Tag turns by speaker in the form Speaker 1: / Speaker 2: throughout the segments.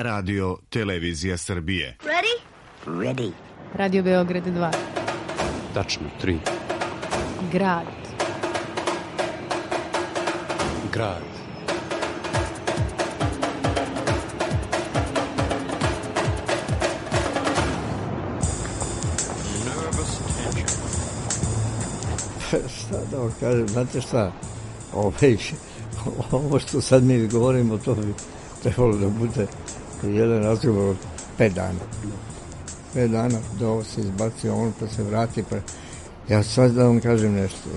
Speaker 1: Radio Televizija Srbije.
Speaker 2: Ready?
Speaker 3: Ready.
Speaker 4: Radio Beograd 2.
Speaker 5: Tačno 3.
Speaker 4: Grad.
Speaker 5: Grad.
Speaker 6: Šta da vam kažem, znate šta, ovo što sad mi govorimo, to bi trebalo da bude jedan razgovor od 5 dana. 5 dana da ovo se izbaci, ono pa se vrati, pa ja sad da vam kažem nešto,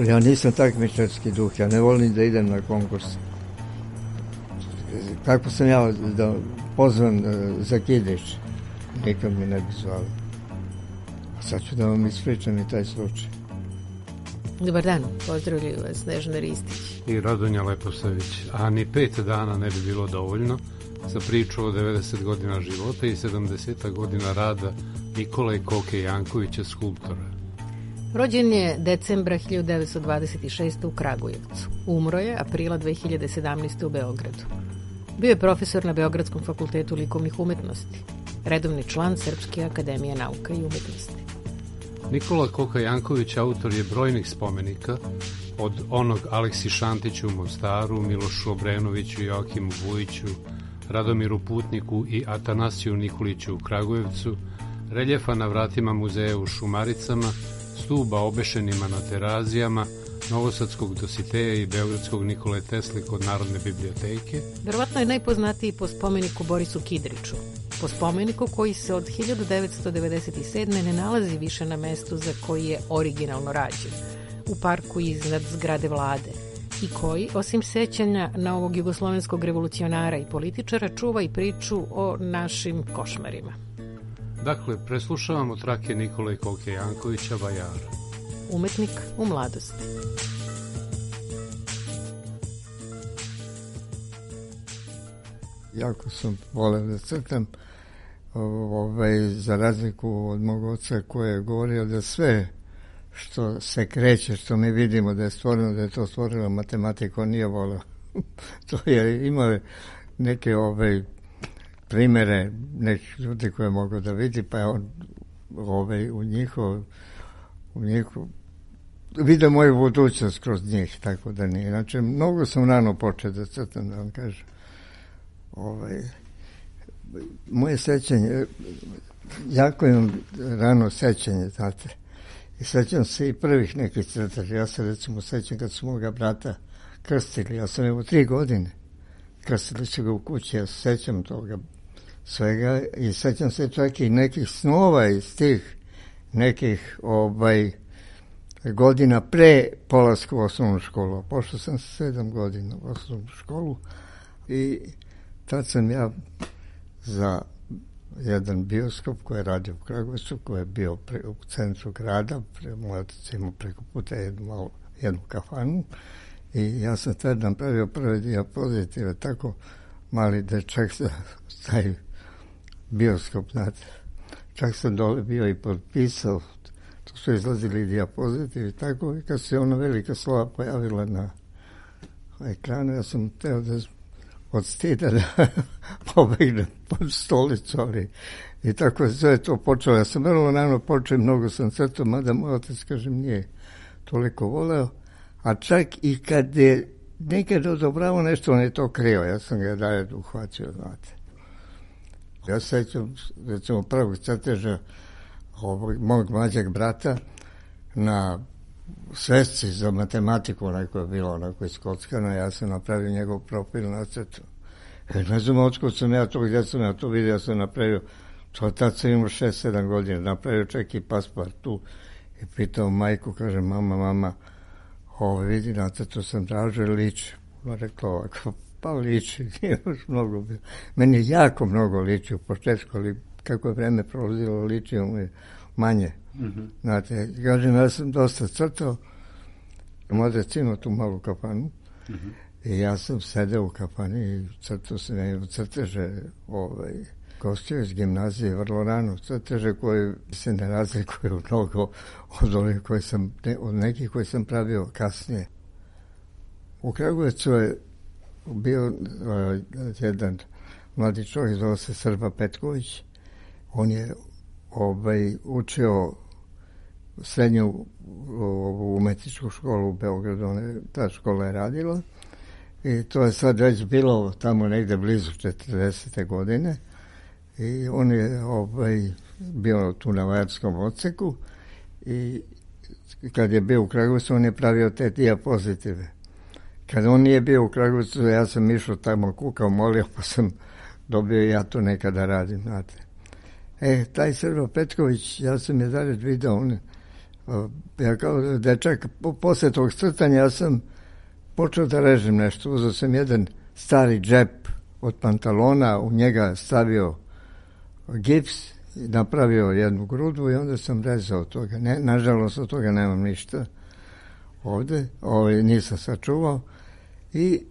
Speaker 6: ja nisam takmičarski duh, ja ne volim da idem na konkurs. Kako sam ja da pozvan za Kidić, nikad mi ne bi zvali. Sad ću da vam ispričam i taj slučaj.
Speaker 4: Dobar dan, pozdravljaju vas Snežana Ristić
Speaker 5: i Radonja Leposavić. A ni 5 dana ne bi bilo dovoljno za priču o 90 godina života i 70 godina rada Nikole Koke Jankovića, skulptora.
Speaker 4: Rođen je decembra 1926. u Kragujevcu. Umro je aprila 2017. u Beogradu. Bio je profesor na Beogradskom fakultetu likovnih umetnosti, redovni član Srpske akademije nauka i umetnosti.
Speaker 5: Nikola Koka Janković autor je brojnih spomenika, od onog Aleksi Šantiću u Mostaru, Milošu Obrenoviću, Joakimu Vujiću, Radomiru Putniku i Atanasiju Nikoliću u Kragujevcu, reljefa na vratima muzeja u Šumaricama, stuba obešenima na Terazijama, novosadskog Dositeja i beogradskog Nikole Tesle kod Narodne biblioteke.
Speaker 4: Verovatno je najpoznatiji po spomeniku Borisu Kidriću, po spomeniku koji se od 1997. ne nalazi više na mestu za koji je originalno rađen, u parku iznad zgrade vlade, i koji, osim sećanja na ovog jugoslovenskog revolucionara i političara, čuva i priču o našim košmarima.
Speaker 5: Dakle, preslušavamo trake Nikole Koke Jankovića Vajara.
Speaker 4: Umetnik u mladosti.
Speaker 6: Jako sam voleo da crtam, za razliku od mog oca koji je govorio da sve što se kreće, što mi vidimo da je stvoreno, da je to stvorila matematika, on nije voleo. To je, imao neke primere nekih ljudi koje mogu da vidi, pa je on u njihov vidio moju budućnost kroz njih, tako da nije. Znači, mnogo sam rano počeo da crtam, da vam kažem. Moje sećanje, jako imam rano sećanje, znate. I sećam se i prvih nekih crtaža. Ja se recimo sećam kad su moga brata krstili. Ja sam imao 3 godine. Krstili su ga u kući, ja se sećam toga svega i sećam se čak i nekih snova iz tih nekih godina pre polaska u osnovnu školu. Pošao sam 7 godina u osnovnu školu i tad sam ja za jedan bioskop koji je radio u Kragujevcu, koji je bio u centru grada, moj otac imao preko puta jednu kafanu i ja sam tad napravio prve diapozitive, tako mali dečak za taj bioskop, znate. Čak sam dole bio i potpisao, to su izlazili diapozitivi, tako i kad se ona velika slova pojavila na ekranu, ja sam teo da od stida da pobegnem pod stolicu, ali i tako je sve to počelo. Ja sam vrlo rano počeo, mnogo sam crtao, mada moj otac, kažem, nije toliko voleo, a čak i kad je nekad odobravao nešto, on je to krio, ja sam ga dalje uhvatio, znate. Ja sećam, recimo, prvog crteža mog mlađeg brata na svesci za matematiku, onako je bilo, onako iskockano, ja sam napravio njegov profil na crtu. Ne znam otkud sam ja to, gdje sam ja to vidio, ja sam napravio, tad sam imao 6-7 godina, napravio čak i pasport tu i pitao majku, kaže, mama, vidi, na crtu sam tražio, liči. Ona rekla ovako, pa liči, nije još mnogo bilo. Meni je jako mnogo liči u početku, ali kako je vreme prolazilo, ličio mu je manje. Znate, kažem, ja sam dosta crtao, moj otac imao tu malu kafanu i ja sam sedeo u kafani i crtao sam crteže gostio iz gimnazije vrlo rano, crteže koji se ne razlikuju mnogo od ovih od nekih koji sam pravio kasnije. U Kragujevcu je bio jedan mladi čovjek, zove se Srba Petković. On je učio srednju umetničku školu u Beogradu, ta škola je radila i to je sad već bilo tamo negde blizu 40. godine i on je bio tu na vajarskom odseku i kad je bio u Kragujevcu on je pravio te dijapozitive. Kad on nije bio u Kragujevcu, ja sam išao tamo, kukao, molio, pa sam dobio ja to nekada radim, znate. Taj Srba Petković, ja sam je dalje vidio, ja kao dečak, posle tog crtanja ja sam počeo da režem nešto. Uzeo sam jedan stari džep od pantalona, u njega stavio gips, napravio jednu grudu i onda sam rezao od toga. Nažalost, od toga nemam ništa ovde, nisam sačuvao. I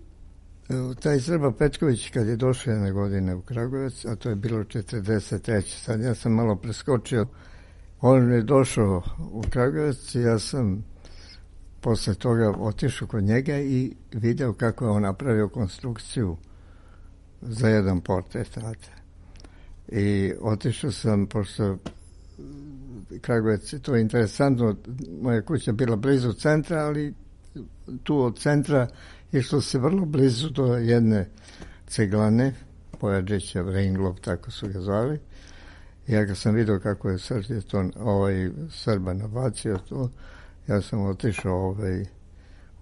Speaker 6: taj Srba Petković, kad je došao jedne godine u Kragujevac, a to je bilo 43. Sad ja sam malo preskočio. On je došao u Kragujevac i ja sam posle toga otišao kod njega i video kako je on napravio konstrukciju za jedan portret. I otišao sam, pošto Kragujevac, to je interesantno, moja kuća bila blizu centra, ali tu od centra išlo se vrlo blizu do jedne ceglane, Pojađeća, Reinglob, tako su ga zvali. Ja kad sam vidio kako je Srba nabacio to, ja sam otišao,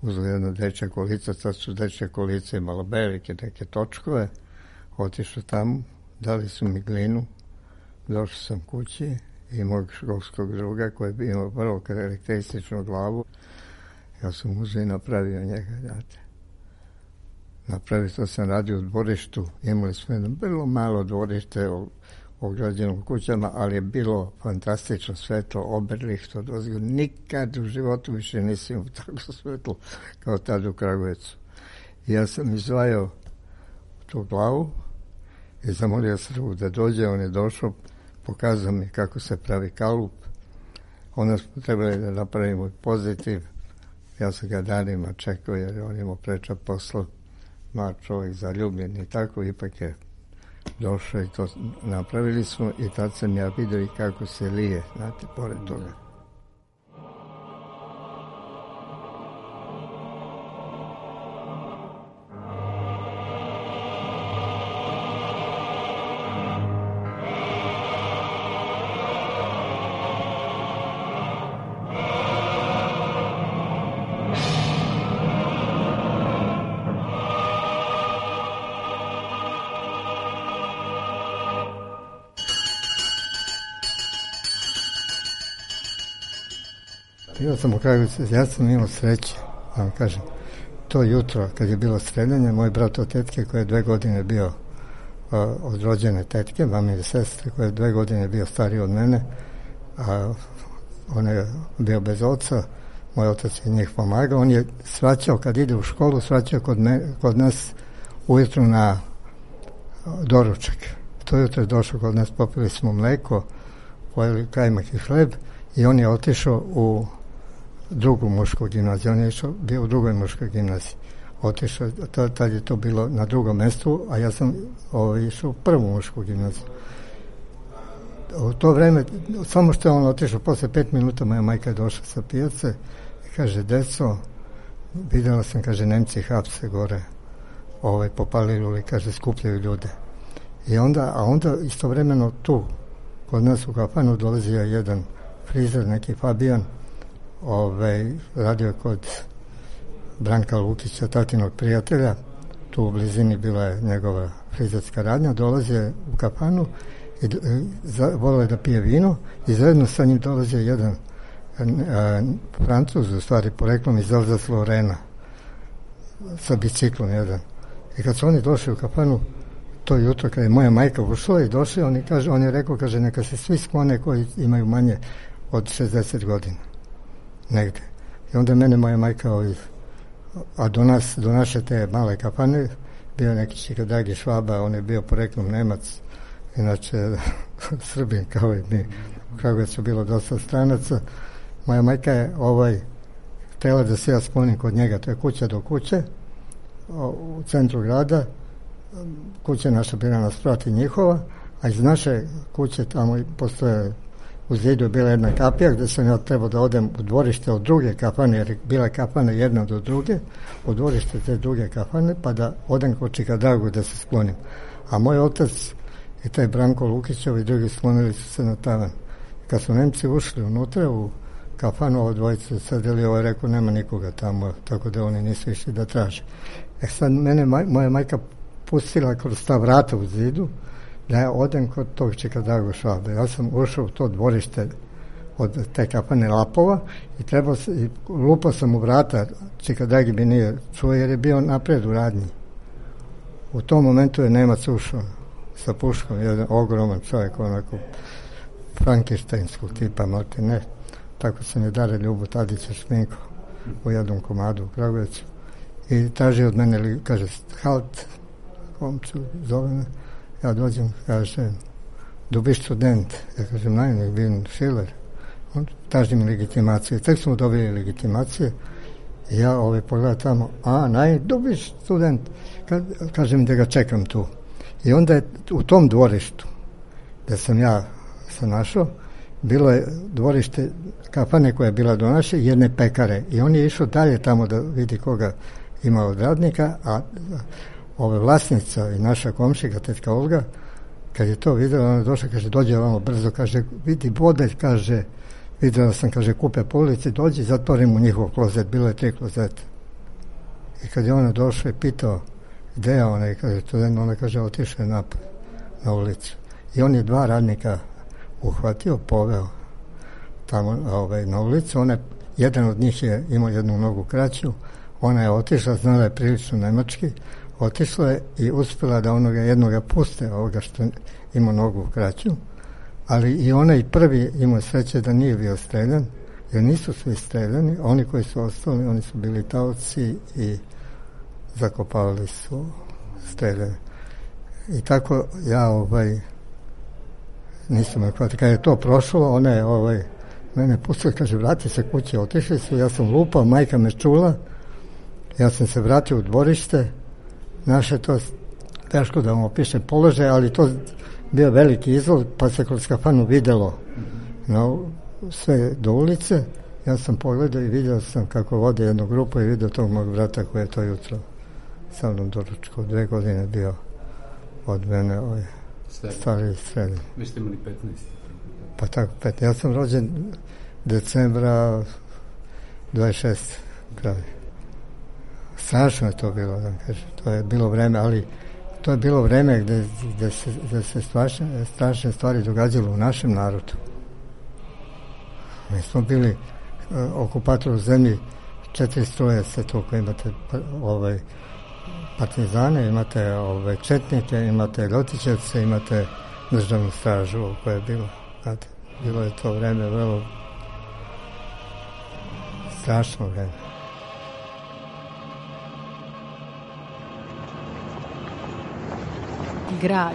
Speaker 6: uzeo jedno dečje kolica, sad su dečje kolice malo velike, neke točkove, otišao tamo, dali su mi glinu, došao sam kući i mog školskog druga koji je bio vrlo karakterističnu glavu, ja sam uzeo i napravio njega, znate. Napravio to sam radio u dvorištu, imali smo jedno vrlo malo dvorište ograđeno kućama, ali je bilo fantastično svetlo, Oberlicht, nikad u životu više nisam imao tako svetlo kao tad u Kragujevcu. I ja sam izdvajao tu glavu i zamolio Srbu da dođe, on je došao, pokazao mi kako se pravi kalup, onda smo trebali da napravimo pozitiv, ja sam ga danima čekao jer on imao preča posla, mlad čovjek, zaljubljen i tako, ipak je došao i to napravili smo i tad sam ja vidio i kako se lije, znate, pored toga. Bio sam u Kragujevcu, ja sam imao sreće, da vam kažem. To jutro, kad je bilo streljanje, moj brat od tetke, koji je 2 godine bio od rođene tetke, mamine sestre, koji je 2 godine bio stariji od mene, a on je bio bez oca, moj otac je njih pomagao, on je svraćao, kad ide u školu, svraćao kod nas ujutru na doručak. To jutro je došao kod nas, popili smo mleko, pojeli kajmak i hleb i on je otišao u drugu mušku gimnaziju. On je bio u drugoj muškoj gimnaziji. Otišao, tad je to bilo na drugom mestu, a ja sam išao u prvu mušku gimnaziju. U to vreme, samo što je on otišao, posle 5 minuta moja majka je došla sa pijace i kaže, deco, videla sam, kaže, Nemci hapse gore, popalili, kaže, skupljaju ljude. I onda istovremeno tu, kod nas u kafanu, dolazio jedan frizer, neki Fabijan, radio je kod Branka Lukića, tatinog prijatelja, tu u blizini bila je njegova frizerska radnja, dolazio u kafanu i volio je da pije vino i zajedno sa njim dolazio jedan Francuz, u stvari poreklom iz Alsace-Lorena, sa biciklom jedan. I kad su oni došli u kafanu, to jutro kada je moja majka ušla i došla, on je rekao, kaže, neka se svi sklone koji imaju manje od 60 godina. Negde. I onda mene moja majka, a do naše te male kafane, bio neki Čikadagi Švaba, on je bio poreklom Nemac, inače Srbin kao i mi. U Kragujevcu bilo dosta stranaca. Moja majka je htjela da se ja sklonim kod njega, to je kuća do kuće, u centru grada, kuća naša bila na sprati njihova, a iz naše kuće tamo postoje, u zidu je bila jedna kapija gdje sam ja trebao da odem u dvorište od druge kafane, jer bila kafana jedna do druge, u dvorište te druge kafane, pa da odem kod Čikadragu da se sklonim. A moj otac i taj Branko Lukićev i drugi sklonili su se na tavan. Kad su Nemci ušli unutra u kafanu, ovo dvojice sedeli, ovo je rekao nema nikoga tamo, tako da oni nisu išli da traže. Sad mene moja majka pustila kroz ta vrata u zidu da ja odem kod tog Čikadragu Švabe. Ja sam ušao u to dvorište od te kafane Lapova i lupao sam u vrata, Čikadragi mi nije čuo jer je bio napred u radnji. U tom momentu je Nemac ušao sa puškom, jedan ogroman čovjek, onako frankensteinskog tipa, malte ne. Tako sam je Dare Ljubu Tadića šminko u jednom komadu u Kragujevcu. I traži od mene, kaže, halt, komču, zove me. Ja dođem, kaže, du bist student. Ja kažem, nein, ich bin Schiller. On traži mi legitimaciju. Tek smo dobili legitimacije. I ja pogledam tamo, nein, du bist student. Kažem da ga čekam tu. I onda je u tom dvorištu, gde sam ja se našao, bilo je dvorište kafane koja je bila do naše, jedne pekare. I on je išao dalje tamo da vidi koga ima od radnika, a ove vlasnica i naša komšika, tetka Olga, kad je to videla, ona je došla, kaže, dođe ovamo brzo, kaže, vidi bodelj, kaže, videla sam, kaže, kupe po ulici, dođi, zatvorim u njihov klozet, bilo je 3 klozeta. I kad je ona došla i pitao, gde je ona, kaže, ona kaže, otišao je napad na ulicu. I on je 2 radnika uhvatio, poveo tamo na ulicu. Jedan od njih je imao jednu nogu kraću, ona je otišla, znala je prilično nemački, otišla je i uspjela da jednoga puste, ovoga što ima nogu kraću, ali i onaj prvi imao sreće da nije bio streljan, jer nisu svi streljani, oni koji su ostali, oni su bili taoci i zakopavali su streljane. I tako ja nisam me hvatio. Kad je to prošlo, ona je mene pustila, kaže, vrati se kući, otišli su, ja sam lupao, majka me čula, ja sam se vratio u dvorište, naše to teško da vam opiše položaj, ali to bio veliki izlog, pa se kroz kafanu videlo sve do ulice. Ja sam pogledao i vidio sam kako vode jednu grupu i vidio tog mog brata koji je to jutro sa mnom doručkao. 2 godine bio od mene stari srednji.
Speaker 5: Vi ste imali 15?
Speaker 6: Pa tako, 15. Ja sam rođen decembra 26. kraj. Strašno je to bilo, da kažem. To je bilo vreme, ali to je bilo vreme gde se strašne stvari događalo u našem narodu. Mi smo bili okupator u zemlji, 4 stroje se toliko, imate partizane, imate četnike, imate ljotićevce, imate državnu stražu koja je bila. Znate, bilo je to vreme vrlo strašno vreme.
Speaker 4: Grad.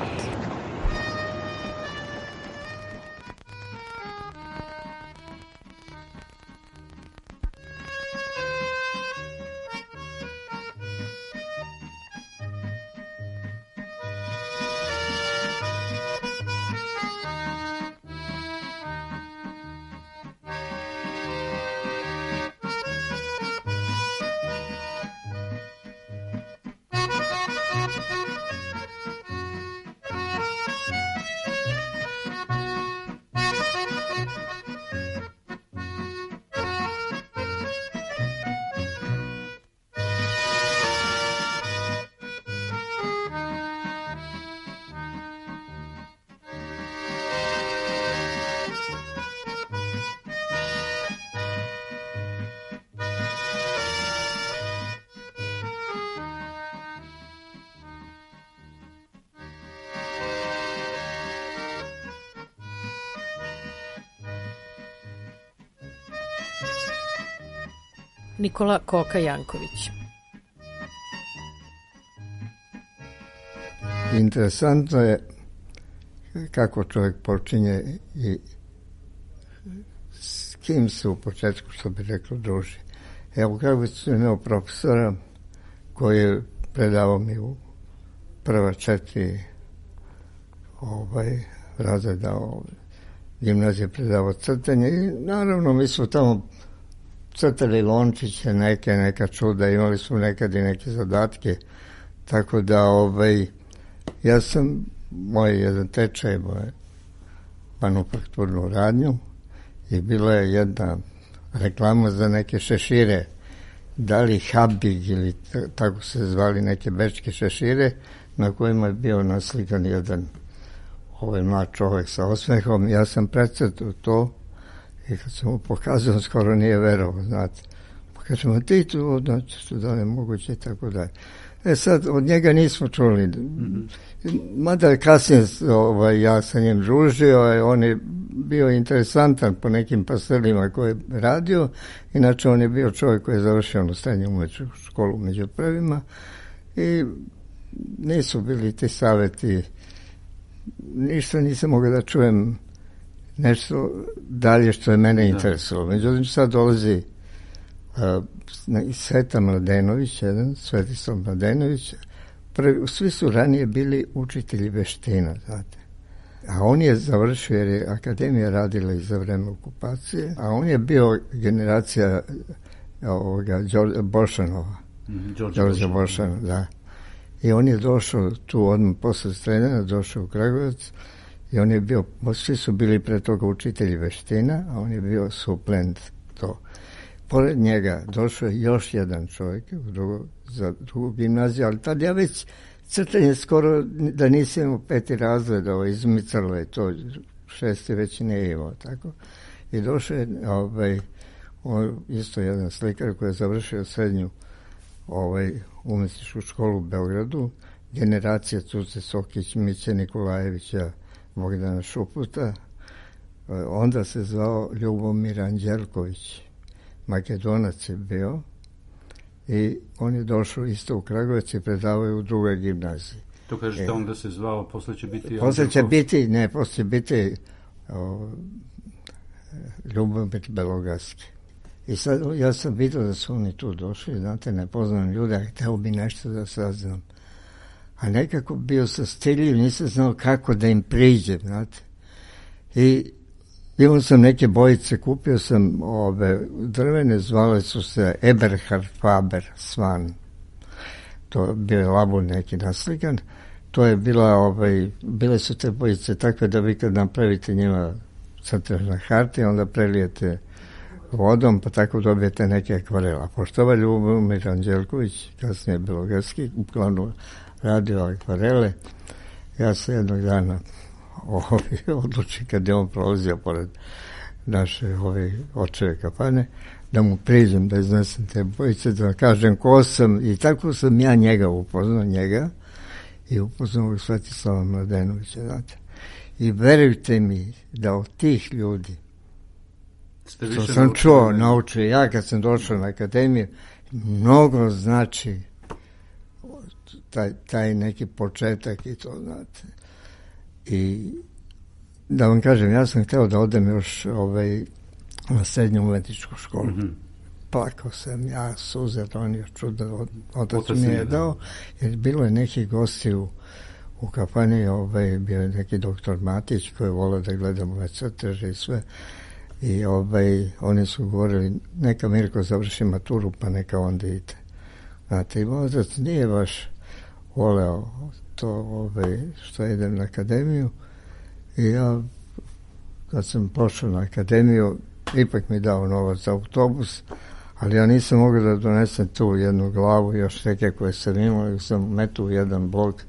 Speaker 4: Nikola Koka Janković.
Speaker 6: Interesantno je kako čovjek počinje i s kim se u početku, što bi reklo, druži. Evo, kako sam imao profesora koji je predavao mi u prva 4 razreda gimnazije, predavao crtanje i naravno mi smo tamo crtali lončiće, neka čuda, imali smo nekad i neke zadatke, tako da ja sam, moj jedan tečaj, manufakturnu radnju i bila je jedna reklama za neke šešire, da li Habig ili tako se zvali neke bečke šešire, na kojima je bio naslikan jedan mlad čovjek sa osmehom. Ja sam precrtao to i kad sam mu pokazao, skoro nije verovao, znate. Pa kažemo, ti tu, znači, što da li je moguće i tako dalje. Sad, od njega nismo čuli. Mada je kasnije ja sa njim družio, on je bio interesantan po nekim pastelima koje je radio. Inače, on je bio čovjek koji je završio srednju umetničku školu među prvima i nisu bili ti savjeti. Ništa nisam mogao da čujem nešto dalje što je mene interesovalo. Međutim, sad dolazi Sveta Mladenović, Svetislav Mladenović. Svi su ranije bili učitelji veština, znate. A on je završio, jer je akademija radila i za vreme okupacije, a on je bio generacija Bošanova. Đorđa Bošanova, da. I on je došao tu odmah posle Strenjana, došao u Kragujevac i on je bio, svi su bili pre toga učitelji veština, a on je bio suplent to. Pored njega došao je još jedan čovjek za drugu gimnaziju, ali tad ja već crtanje skoro da nisam imao 5. razred, izmicalo je to, 6. već nije imao, tako. I došao je isto jedan slikar koji je završio srednju umetničku školu u Beogradu, generacija Cuce Sokić, Miće Nikolajevića, Bogdana Šuputa. Onda se zvao Ljubomir Anđelković, Makedonac je bio i on je došao isto u Kragujevac i predavao je u drugoj gimnaziji.
Speaker 5: To kažete onda se zvao, posle će biti...
Speaker 6: Posle će biti Ljubomir Belogarski. I sad ja sam vidio da su oni tu došli, znate, nepoznani ljudi, a hteo bi nešto da saznam. A nekako bio sam stiljiv, nisam znao kako da im priđem, znate. I imao sam neke bojice, kupio sam drvene, zvale su se Eberhard Faber Svan. To bio je labur neki naslikan. To je bile su te bojice takve da vi kad napravite njima crtež na harti, onda prelijete vodom, pa tako dobijete neke akvarela. Pošto ovaj Ljubomir Anđelković, kasnije Belogarski, uglavnom radio akvarele, ja se jednog dana odluči kad je on prolazio pored naše očeve kafane, da mu priđem, da iznesem te bojice, da kažem ko sam, i tako sam ja upoznao njega i upoznao Svetislava Mladenovića, znate. I verujte mi da od tih ljudi što sam čuo, naučio, ja kad sam došao na akademiju, mnogo znači taj neki početak i to, znate. I da vam kažem, ja sam hteo da odem još na srednju umetničku školu. Plakao sam, ja suze ronio, čudo, otac mi je dao, jer bilo je neki gosti u kafani, bio je neki doktor Matić koji je volao da gleda moje crteže i sve. I oni su govorili, neka Mirko završi maturu, pa neka onda ide. Znate, i otac nije baš voleo to što idem na akademiju. I ja, kad sam pošao na akademiju, ipak mi dao novac za autobus, ali ja nisam mogao da donesem tu jednu glavu, još neke koje sam imao, i sam metu u jedan blok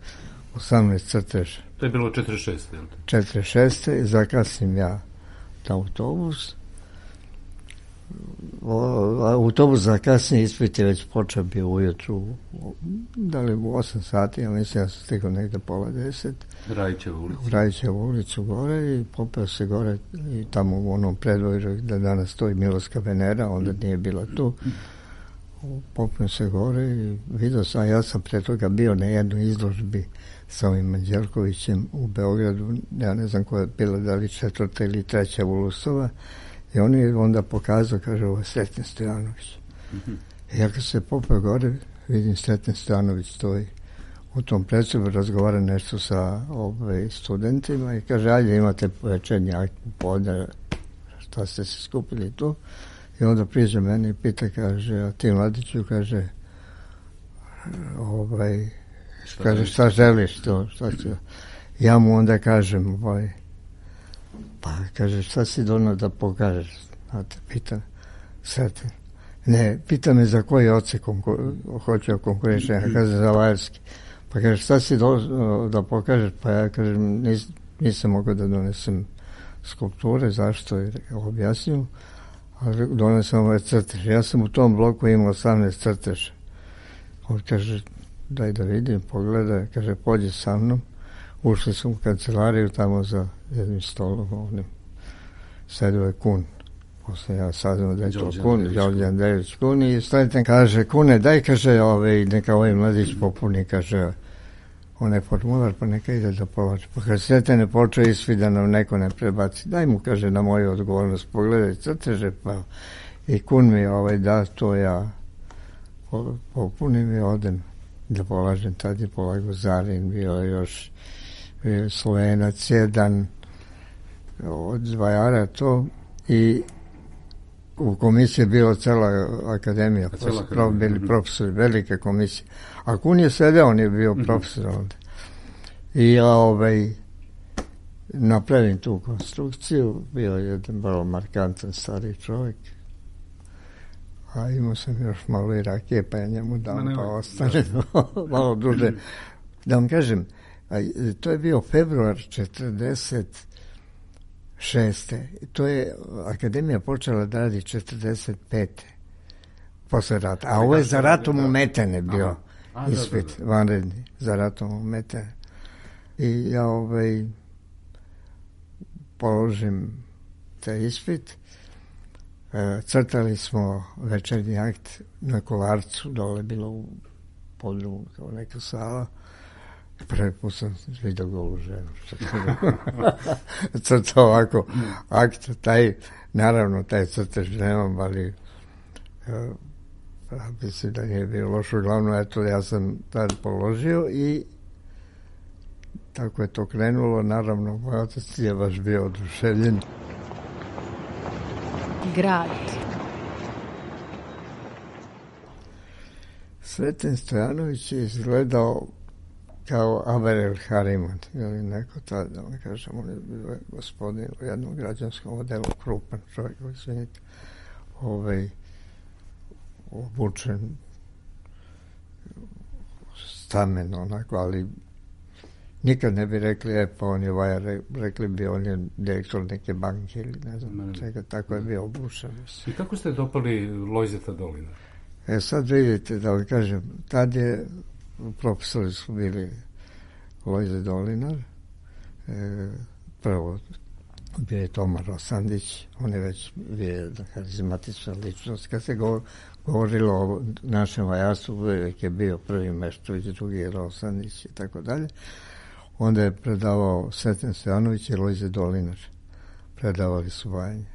Speaker 6: 18 crteža.
Speaker 5: To je bilo 46.
Speaker 6: 46. i zakasnim ja autobus. Autobus za kasnije ispit je već počeo bio ujutru, da li u 8 sati, ja mislim ja sam stigao negde pola 10. Rajićevu ulicu gore i popeo se gore i tamo u onom predvoju da danas stoji Miloska Venera, onda nije bila tu. Popeo se gore i vidio sam, ja sam pre toga bio na jednoj izložbi sa ovim Anđelkovićem u Beogradu, ja ne znam koja je bila, da li 4. ili 3. Ulusova, i on je onda pokazao, kaže, ovo je Srećan Stojanović. I ja kad se popeo gore, vidim Sreten Stojanović stoji u tom predsobu, razgovara nešto sa studentima i kaže, ajde imate večernji akt popodne, šta ste se skupili tu. I onda priđe meni i pita, kaže, a ti Mladiću, kaže, kaže, šta želiš to, šta ću? Ja mu onda kažem, pa kaže, šta si donao da pokažeš? Znate, pita Sreten. Ne, pita me za koji odsek hoće konkurišenja, kaže za vajarski. Pa kaže, šta si da pokažeš? Pa ja kažem, nisam mogao da donesem skulpture, zašto je objasnio, ali donesem ovaj crtež. Ja sam u tom bloku imao 18 crteža. On kaže, daj da vidim, pogledaj, kaže, pođi sa mnom. Ušli smo u kancelariju, tamo za jednim stolom, ovdje sedio je Kun. Posle ja saznao da je to Kun, Đorđe Andrejević Kun, i Sreten kaže, Kune, daj, kaže, neka ovaj mladić popuni, kaže, onaj formular, pa neka ide da polači. Pa kad Sreten je počeo ispit da nam neko ne prebaci, daj mu, kaže, na moju odgovornost, pogledaj crteže, pa i Kun mi da, to ja popunim i odem da polažem. Tad je polagao Zarin, bio još Slovenac, jedan od Vajara to, i u komisiji je bila cela akademija, bili profesori, velike komisije. A Kun je sedeo, on je bio profesor onda. I ja napravim tu konstrukciju, bio je jedan vrlo markantan stari čovjek, a imao sam još malo i rakije, pa ja njemu dam, pa ostane malo duže. Da vam kažem, to je bio februar 46. To je akademija počela da radi 45. posle rata. A ovo je za ratom umetene bio ispit, vanredni, za ratom umetene. I ja položim taj ispit. Crtali smo večernji akt na Kolarcu, dole bilo u podrumu kao neka sala. Prvi put sam vidio golu ženu. Crtao ovako akt, naravno taj crtež nemam, ali mislim da nije bilo lošo. Uglavnom, eto, ja sam tad položio i tako je to krenulo. Naravno, moj otac je baš bio oduševljen.
Speaker 4: Grad. Sreten
Speaker 6: Stojanović je izgledao kao Averel Hariman, ili neko tada, da vam kažem, on je bio gospodin u jednom građanskom odelu, krupan čovjek, izvinite, obučen, stamen, onako, ali nikad ne bi rekli, pa on je vajar, rekli bi on je direktor neke banke ili ne znam čega, tako je bio obučen.
Speaker 5: I kako ste dopali Lojzeta Dolinara?
Speaker 6: Sad vidite, da vam kažem, tad je profesori su bili Lojze Dolinar, prvo bio je Toma Rosandić, on je već bio harizmatična ličnost. Kad se govorilo o našem vajarstvu, uvijek je bio prvi Meštović, drugi je Rosandić i tako dalje. Onda je predavao Sreten Stojanović i Lojze Dolinar. Predavali su vajanje.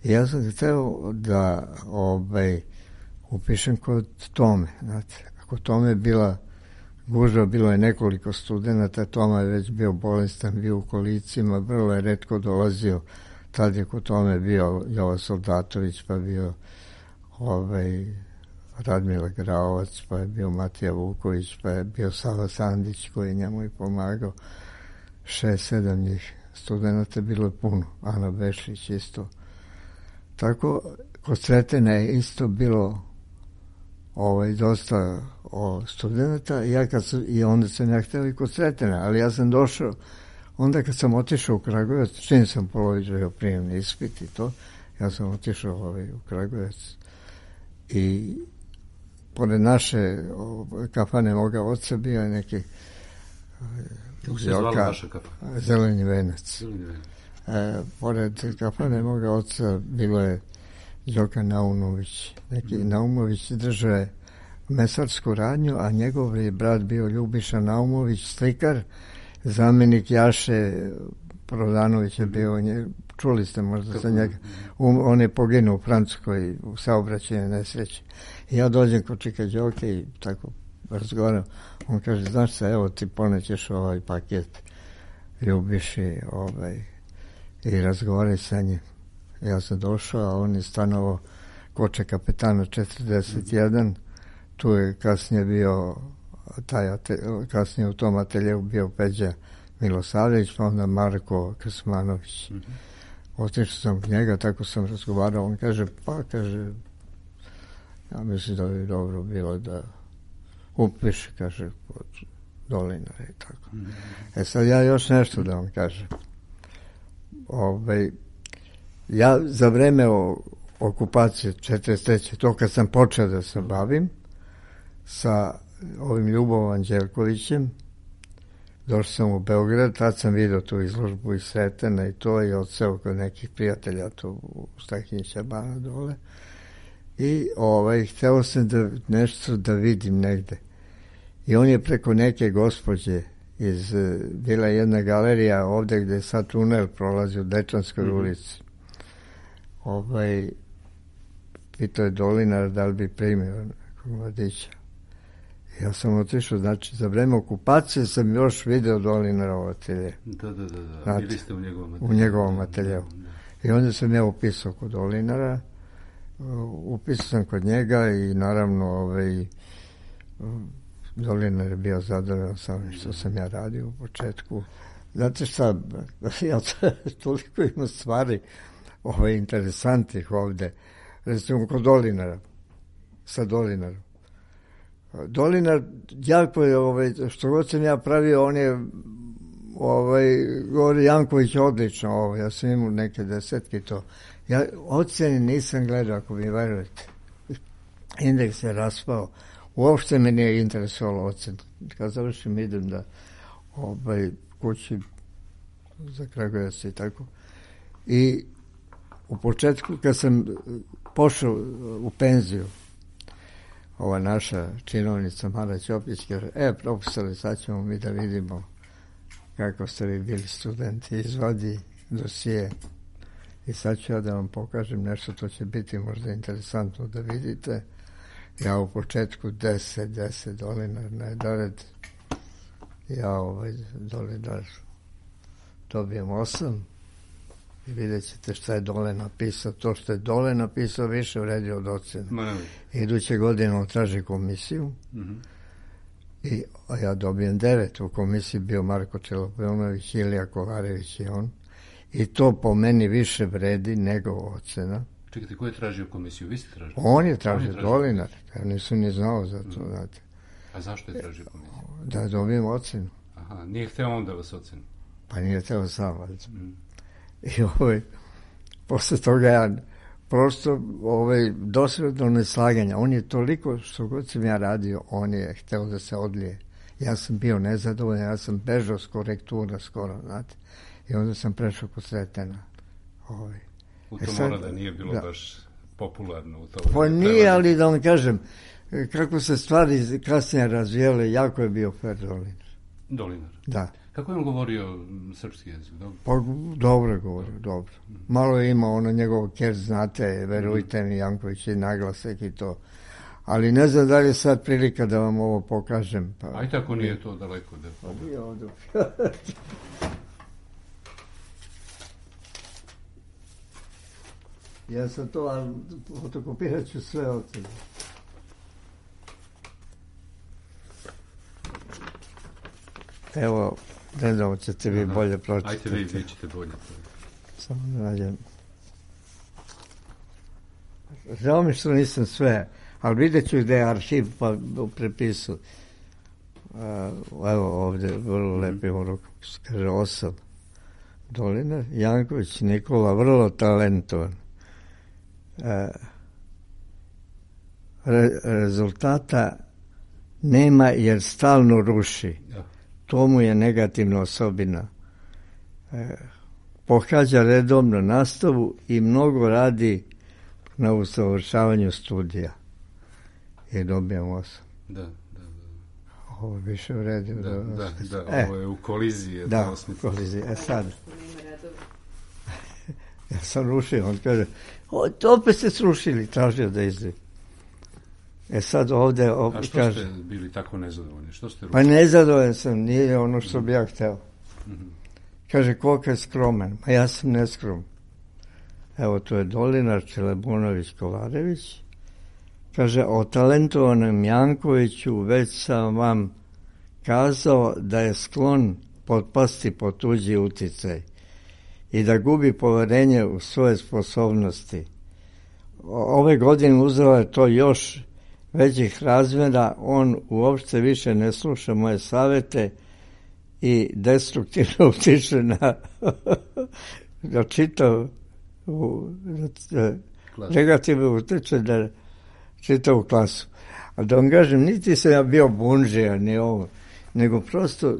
Speaker 6: I ja sam hteo da upišem kod Tome, znate. Ako Tome je bila gužva, bilo je nekoliko studenata, Toma je već bio bolestan, bio u kolicima, vrlo je retko dolazio. Tad je kod Tome bio Jovan Soldatović, pa bio Radmila Graovac, pa je bio Matija Vuković, pa je bio Sava Sandić koji je njemu i pomagao. 6-7 njih studenata, bilo je puno. Ana Bešlić isto. Tako, kod Sretena je isto bilo dosta studenta i onda sam ja htio i kod Sretena, ali ja sam došao, onda kad sam otišao u Kragujevac, čim sam položio prijemni ispit i to, ja sam otišao u Kragujevac i pored naše kafane moga oca bio je neki Zeleni venac. Pored kafane moga oca bilo je Đoka Naumović. Neki Naumović držao je mesarsku radnju, a njegov je brat bio Ljubiša Naumović, slikar, zamjenik Jaše Prodanović je bio, čuli ste možda za njega, on je poginuo u Francuskoj u saobraćajnoj nesreći. I ja dođem kod Čika Đoke i tako razgovaram, on kaže, znaš se, evo ti ponećeš ovaj paket Ljubiši, i razgovaraj sa njim. Ja sam došao, a on je stanovao Koče Kapetana 41, tu je kasnije bio kasnije u tom ateljevu bio Peđa Milosavljević, pa onda Marko Krsmanović. Otišao sam k njega, tako sam razgovarao, on kaže, ja mislim da bi dobro bilo da upiše, kaže, kod Dolinara i tako. Sad ja još nešto da vam kažem. Ja za vreme okupacije 43. to kad sam počeo da se bavim sa ovim Ljubovom Anđelkovićem, došao sam u Beograd, tad sam vidio tu izložbu iz Sretena i to, i odseo kod nekih prijatelja tu u Stahinjića bana dole, i hteo sam nešto da vidim negde. I on je preko neke gospođe bila jedna galerija ovde gde sad tunel prolazi u Dečanskoj ulici. Pitao je Dolinar da li bi primio nekog mladića. Ja sam otišao, znači za vreme okupacije sam još video Dolinara u atelje.
Speaker 5: Da. Bili ste u njegovom ateljevu.
Speaker 6: U njegovom ateljevu. I onda sam ja upisao kod Dolinara, upisao sam kod njega i naravno Dolinar je bio zadovoljan sa ovim što sam ja radio u početku. Znate šta, ja toliko ima stvari interesantnih ovde. Recimo kod Dolinara, sa Dolinarom. Dolinar, jako je, što god sam ja pravio, on je, govori Janković odlično, ja sam imao neke desetke to. Ja ocene nisam gledao, ako mi verujete. Indeks je raspao. Uopšte me nije interesovalo ocen. Kad završim, idem da kući za Kragujevac i tako. I u početku, kad sam pošao u penziju, ova naša činovnica Mara Ćopić kaže, profesore, sad ćemo mi da vidimo kako ste vi bili studenti, izvadi dosije i sad ću ja da vam pokažem nešto, to će biti možda interesantno da vidite. Ja u početku 10 Dolinar najedared, ja Dolinar dobijem 8 i vidjet ćete šta je dole napisao. To što je dole napisao više vredi od ocena. Iduće godine on traži komisiju, a ja dobijem 9. U komisiji bio Marko Čelopionović, Ilija Kolarević i on. I to po meni više vredi nego ocena.
Speaker 5: Čekajte, ko je tražio komisiju? Vi ste tražili?
Speaker 6: On je tražio, Dolinar. Ja nisam ni znao za to, znate.
Speaker 5: A zašto je tražio komisiju?
Speaker 6: Da dobijem ocenu.
Speaker 5: Aha, nije hteo on da vas ocenu?
Speaker 6: Pa nije hteo sam, valjda. I posle toga ja prosto dosledno neslaganja. On je toliko, što god sam ja radio, on je hteo da se odlije. Ja sam bio nezadovoljan, ja sam bežao s korektura skoro, znate. I onda sam prešao kod Sretena.
Speaker 5: U to mora da nije bilo baš popularno u to.
Speaker 6: Pa nije, ali da vam kažem, kako se stvari kasnije razvijele, jako je bio fair Dolinar.
Speaker 5: Dolinar?
Speaker 6: Da.
Speaker 5: Kako je on govorio srpski jezik?
Speaker 6: Pa dobro je govorio, dobro. Malo je imao njegov kerc, znate, verujte mi, Janković i naglasak i to. Ali ne znam da li je sad prilika da vam ovo pokažem.
Speaker 5: Aj tako nije to daleko.
Speaker 6: Nije ovdje. Ja sam to, ali fotokopirat ću sve od sebe. Evo, ne znam, ćete vi bolje pročitati.
Speaker 5: Ajte vi ćete bolje.
Speaker 6: Samo da nađem. Žao mi što nisam sve, ali vidjet ću gde je arhiv, pa prepisu. Evo ovdje, vrlo lepi urok, kaže 8. Dolinar, Janković, Nikola, vrlo talentovan. Rezultata nema jer stalno ruši. To mu je negativna osobina. Pohađa redovno nastavu i mnogo radi na usavršavanju studija. I dobijam 8.
Speaker 5: Da.
Speaker 6: Ovo više vredi.
Speaker 5: Da, ovo je u koliziji.
Speaker 6: Da, u koliziji. Sad. Ja sam rušio, on kaže, opet ste srušili, tražio da izdaju. Sad ovde...
Speaker 5: A što kaže, ste bili tako nezadovoljni? Što ste rušili?
Speaker 6: Pa nezadovoljan sam, nije ono što bi ja hteo. Kaže, koliko je skroman? Ma ja sam neskroman. Evo, to je Dolinar, Čelebunović, Kolarević. Kaže, o talentovanom Jankoviću već sam vam kazao da je sklon potpasti pod tuđi uticaj i da gubi poverenje u svoje sposobnosti. Ove godine uzela je to još većih razmjera, on uopšte više ne sluša moje savete i destruktivno utiče na da čitav negativno utiče da čitavu klasu. A da vam kažem, niti sam ja bio bunžija, ni ovo, nego prosto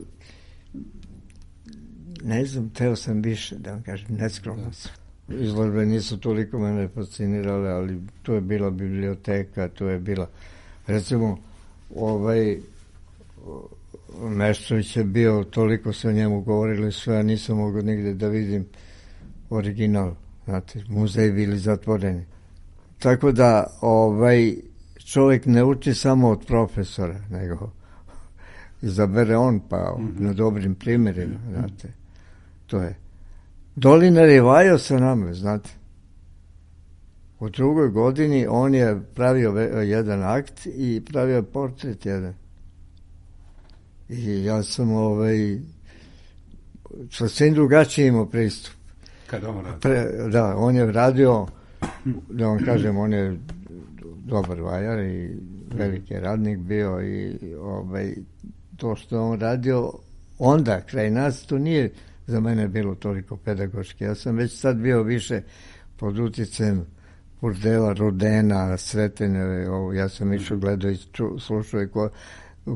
Speaker 6: ne znam, teo sam više, da vam kažem, neskromno sam. Izložbe nisu toliko mene fascinirale, ali tu je bila biblioteka, tu je bila, recimo, Meštrović je bio, toliko se o njemu govorili sve, a nisam mogao nigde da vidim original, znate, muzeji bili zatvoreni. Tako da, čovjek ne uči samo od profesora, nego izabere on, pa na dobrim primjerima, znate, to je. Dolinar je vajao sa nama, znate. U drugoj godini on je pravio jedan akt i pravio portret jedan. I ja sam sasvim drugačiji imao pristup.
Speaker 5: Kada on radio?
Speaker 6: Da, on je radio, da vam kažem, on je dobar vajar i veliki radnik bio i to što on radio onda, kraj nas, to nije za mene bilo toliko pedagoški. Ja sam već sad bio više pod uticajem Burdela, Rudena, Sretene, ja sam išao gledao i slušao i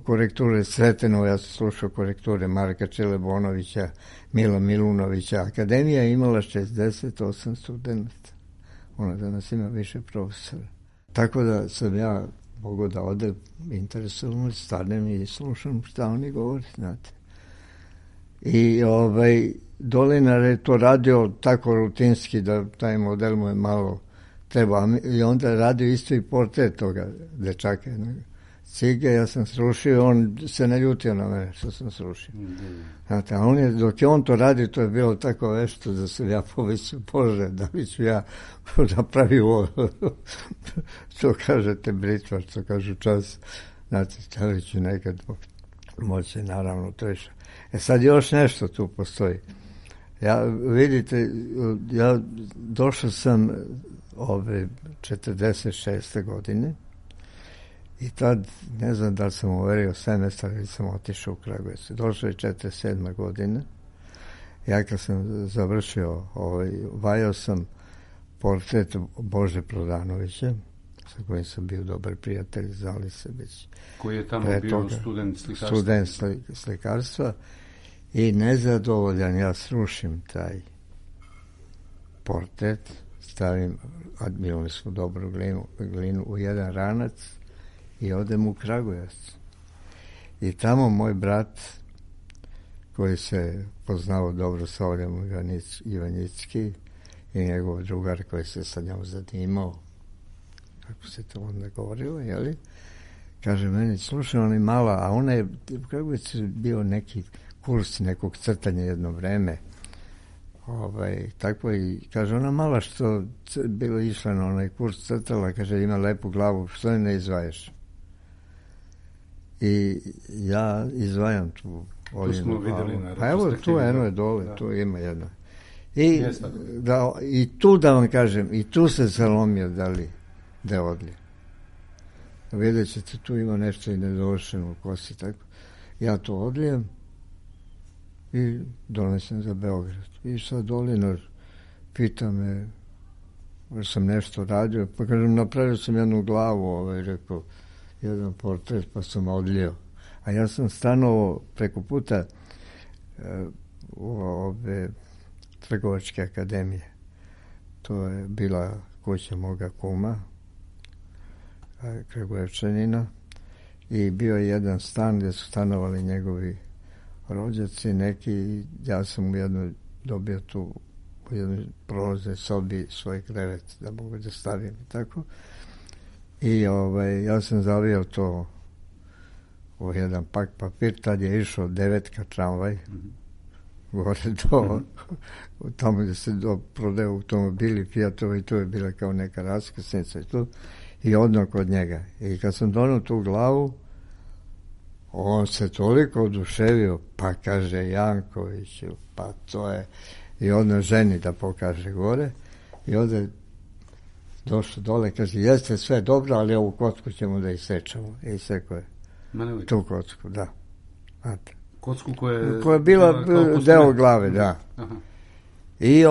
Speaker 6: korekture Sretenova, ja sam slušao korekture Marka Čelebonovića, Mila Milunovića. Akademija je imala 68 studenta. Ona danas ima više profesora. Tako da sam ja mogao da ode interesovno, stanem i slušam šta oni govori, znate. I Dolinar je to radio tako rutinski da taj model mu je malo treba. I onda je radio isto i portret toga dečaka. Cige, ja sam srušio, on se ne ljutio na mene što sam srušio. Znate, a dok je on to radio, to je bilo tako vešto da se ja povisio, Bože, da bi ću ja napravio ovo, što kažete britvar, što kažu čas, znate, da li ću nekad moći, naravno, to je što. Sad još nešto tu postoji. Vidite, ja došao sam 46. godine i tad, ne znam da li sam uverio semestar ili sam otišao u Kragujevac. Došao je 47. godina. Ja kad sam završio, vajao sam portret Bože Prodanovića, sa kojim sam bio dobar prijatelj, znali se već.
Speaker 5: Koji je tamo bio student slikarstva?
Speaker 6: Student slikarstva. I nezadovoljan, ja srušim taj portret, stavim, imali smo dobru glinu u jedan ranac i odem u Kragujevac. I tamo moj brat, koji se poznao dobro sa Oljom Ivanjicki i njegov drugar koji se sa njom zanimao, kako se to onda govorilo, jeli? Kaže meni, slušaj, ona je mala, a ona je, u Kragujevcu je bio neki kurs nekog crtanja jedno vreme. Tako i, kaže, ona mala što bilo išla na onaj kurs crtala, kaže, ima lepu glavu, što ne izvajaš? I ja izvajam tu Oljinu glavu. Pa evo, tu eno je dole, da. Tu ima jedna. I tu da vam kažem, i tu se zalomio da je odlije. Vidjet ćete, tu ima nešto i nedovršeno u kosi, tako. Ja to odlijem i donesem za Beograd. I sad Dolinar pita me, jer sam nešto radio, pa kažem, napravio sam jednu glavu, rekao, jedan portret, pa sam odlijeo. A ja sam stanovao preko puta u ove Trgovačke akademije. To je bila kuća moga kuma, Kragujevčanina, i bio je jedan stan gdje su stanovali njegovi rođaci neki. Ja sam u jednoj dobio tu u jednoj prolaznoj sobi svoj krevet da mogu da stavim i tako. I ja sam zavio to u jedan pak papir, tad je išao 9 tramvaj, gore do, tamo gde se prodaje automobili, Fijatovi, tu je bila kao neka raskrsnica i tu, i odno kod njega. I kad sam donao tu glavu, on se toliko oduševio, pa kaže Jankoviću, pa to je, i odno ženi da pokaže gore, i onda je došao dole, kaže, jeste sve dobro, ali ovu kocku ćemo da isečemo. I isekao je tu kocku, da. Znate.
Speaker 5: Kocku koja
Speaker 6: je bila deo glave, da. Aha. I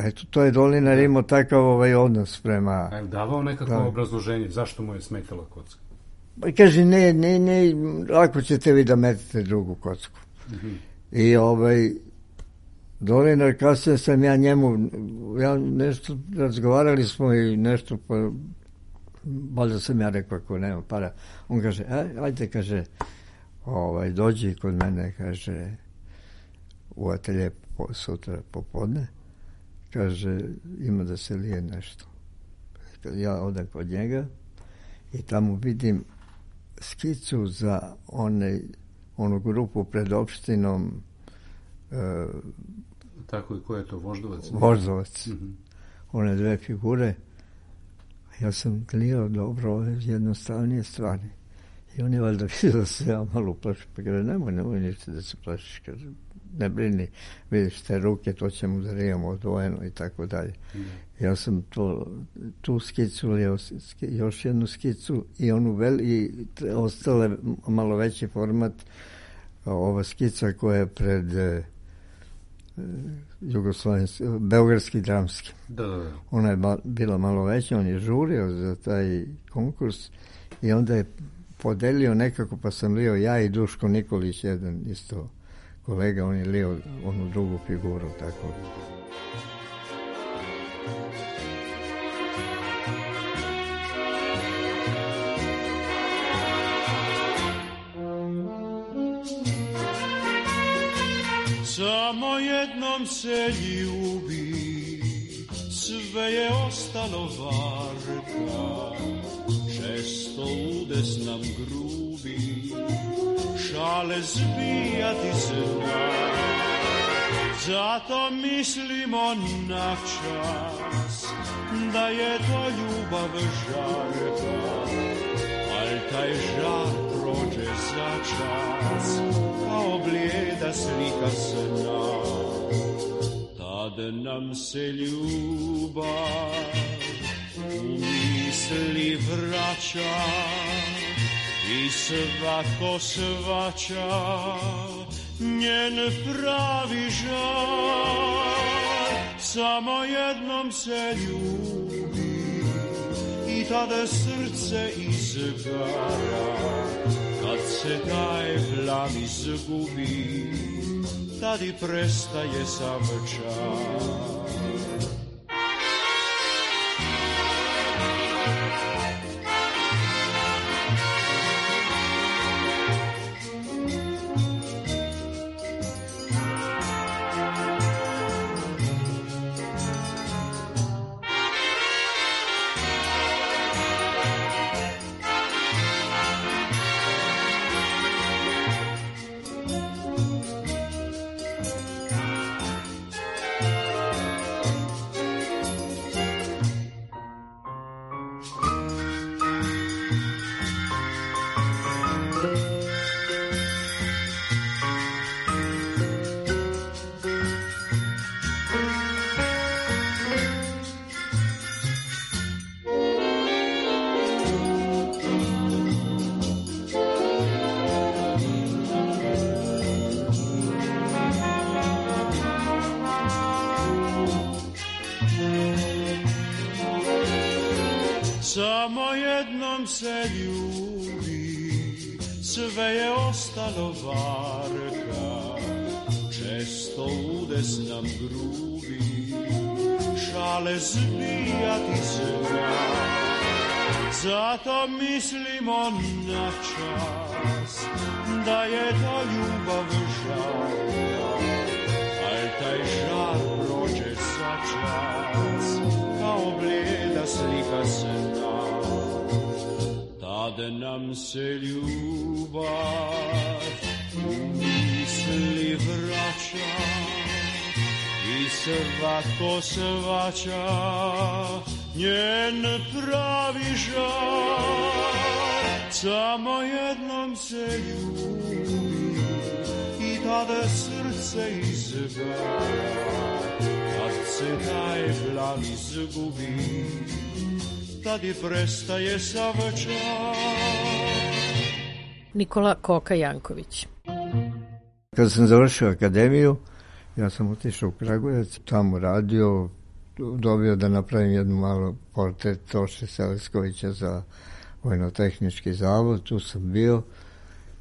Speaker 6: eto, to je Dolinar imao takav odnos prema...
Speaker 5: A je davao nekako obrazloženje, zašto mu je smetala kocka?
Speaker 6: Pa kaže, ne, lako ćete vi da metete drugu kocku. I Dolinar, kasnije sam ja njemu, nešto, razgovarali smo i nešto, pa valjda sam ja rekao ako nema para. On kaže, ajde, kaže, dođi kod mene, kaže, u atelje sutra popodne, kaže, ima da se lije nešto. Ja odem kod njega i tamo vidim skicu za onu grupu pred opštinom.
Speaker 5: Tako i ko je to, Voždovac?
Speaker 6: Voždovac. One dve figure. Ja sam gledao dobro ove jednostavnije stvari. I on je valjda vidio da se ja malo plašim. Pa kaže, nemoj ništa da se plašiš. Kaže, ne brini, vidiš te ruke, to ćemo da rijemo odvojeno i tako dalje. Ja sam tu skicu, još jednu skicu i onu i ostale malo veći format, ova skica koja je pred Beogradski dramski.
Speaker 5: Da.
Speaker 6: Ona je bila malo veća, on je žurio za taj konkurs i onda je podelio nekako, pa sam lio ja i Duško Nikolić, jedan isto kolega, on je lio onu drugu figuru, tako.
Speaker 2: Samo jednom se ljubi, sve je ostalo varka, često udes nam grubi, šale zbijati zna, zato mislimo na čas, da je to ljubav žarka, ali taj žar prođe za čas, kao blijeda slika sna. Tad nam se ljubav u misli vraća i svako svaća njen pravi žar. Samo jednom se ljubi i tada srce izgara. Kad se taj plan izgubi, tad i prestaje sav čar. Samo jednom se ljubi, sve je ostalo varka, često udes nam grubi, šale zbijati zna, zato mislimo na čas, da je to ljubav žarka, taj žar prođe za čas, kao blijeda slika se da. Tad nam se ljubav u misli vraća i svatko svaća njen pravi žar. Samo jednom se ljubi i tada srce izgara, kad se taj plan izgubi, tad i prestaje sav čar.
Speaker 4: Nikola Koka Janković.
Speaker 6: Kad sam završio akademiju, ja sam otišao u Kragujevac, tamo radio, dobio da napravim jednu malo portret Toše Seleskovića za Vojno-tehnički zavod, tu sam bio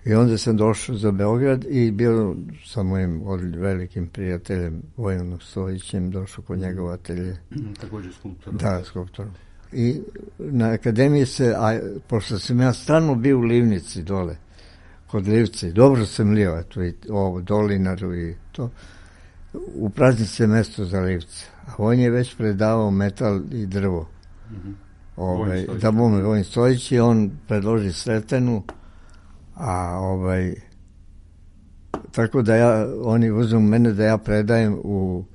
Speaker 6: i onda sam došao za Beograd i bio sa mojim velikim prijateljem Vojanom Stojićem, došao kod njegov atelje.
Speaker 5: Također skulptorom.
Speaker 6: Da, skulptorom. I na akademiji se, a pošto sam ja stalno bio u Livnici dole, kod Livci, dobro sam lio, eto i ovo, Dolinaru i to, u praznici je mesto za Livce, a on je već predavao metal i drvo. Da bome Vojin Stojić i on predloži Sretenu, a tako da oni uzmu mene da ja predajem u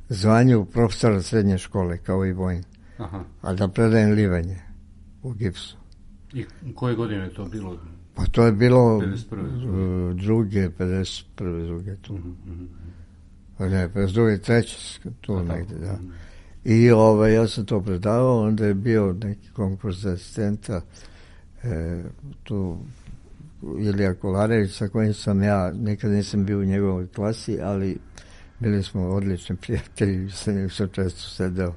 Speaker 6: zvanju profesora srednje škole, kao i Vojin.
Speaker 5: Aha.
Speaker 6: A da predajem livanje u gipsu.
Speaker 5: I koje godine je to bilo?
Speaker 6: Pa to je bilo
Speaker 5: 51.
Speaker 6: druge tu. Ne, 52. treće, tu negde, da. I ja sam to predavao, onda je bio neki konkurs za asistenta, tu Ilija Kolarević, sa kojim sam ja, nikad nisam bio u njegovoj klasi, ali bili smo odlični prijatelji, sa njim sam često sedeo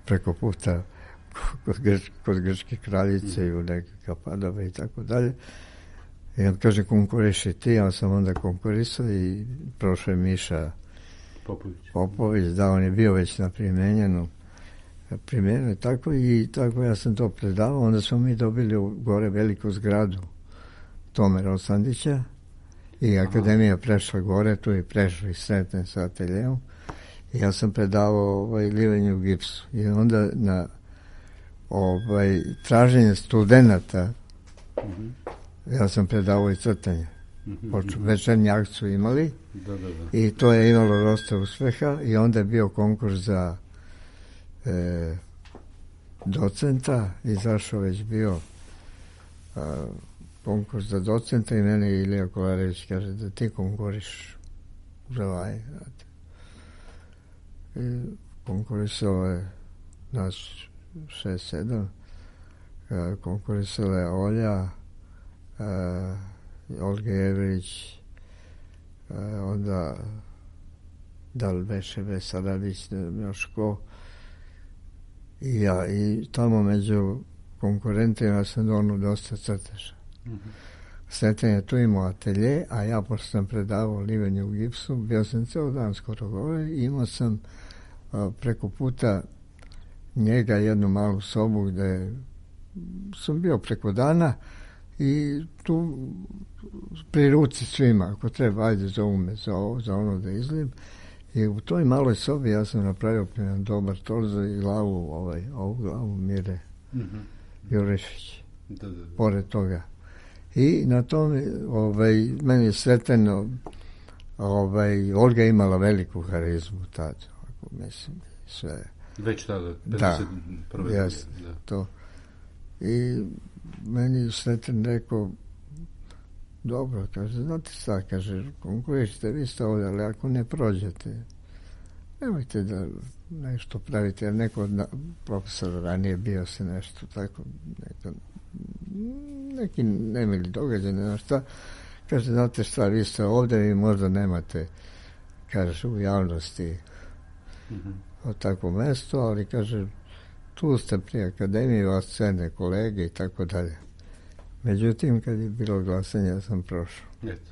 Speaker 6: preko puta kod Grčke kraljice i u nekakva Padova i tako dalje. I on kaže, konkuriši ti, ja sam onda konkurisao i prošao je Miša Popović, da, on je bio već na primenjeno tako i tako ja sam to predavao, onda smo mi dobili gore veliku zgradu Tome Rosandića i akademija prešla gore, tu je prešla i Sreten sa ateljejom i ja sam predavao livanje u gipsu i onda na traženje studenata ja sam predavao i crtanje. Večernji akt su imali i to je imalo dosta uspeha i onda je bio konkurs za docenta, izašao već bio konkurs za docenta i mene Ilija Kolarević kaže da ti konkuriš ževaj. I konkurisao je nas 6-7, konkurisala je Olja, Olga Jevrić, onda da li beše Vesaravić, još ko, i ja, i tamo među konkurentima sam donio dosta crteža. Sreten je tu imao atelje, a ja pošto sam predavao livanje u gipsu, bio sam ceo dan skoro gore i imao sam preko puta njega jednu malu sobu gde sam bio preko dana i tu pri ruci svima, ako treba, ajde zovu me za ono da izlijem. I u toj maloj sobi ja sam napravio jedan dobar torzo i ovu glavu Mire Jurišić. Pored toga. I na tome, meni je Sreteno, Olga imala veliku harizmu tad, mislim, sve.
Speaker 5: Već tada, 51.
Speaker 6: Da, jes, to. I meni Sreten rekao, dobro, kaže, znate šta, kaže, konkurišite, vi ste ovdje, ali ako ne prođete, nemojte da nešto pravite, jer neko od profesora ranije bio se nešto tako, neki nemili događaj, nema šta, kaže, znate šta, vi ste ovdje, vi možda nemate, kaže, u javnosti od takvo mesto, ali kaže, tu ste pri akademiji, vas cene kolege i tako dalje. Međutim, kad je bilo glasanje, ja sam prošao.
Speaker 5: Eto.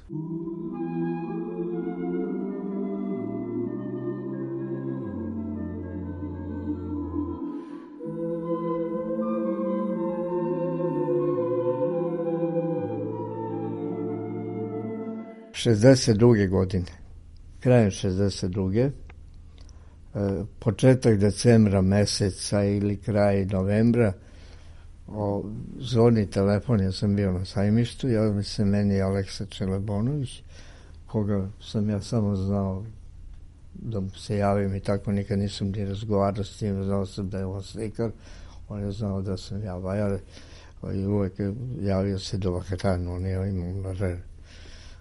Speaker 6: '62. godine, krajem 62. Početak decembra meseca ili kraj novembra, zvoni telefon, ja sam bio na Sajmištu, javio mi se meni Aleksa Čelebonović, koga sam ja samo znao da mu se javim i tako, nikad nisam ni razgovarao s tim, znao sam da je on slikar, on je znao da sam ja vajar i uvek javio se do Vakaranu, on je imao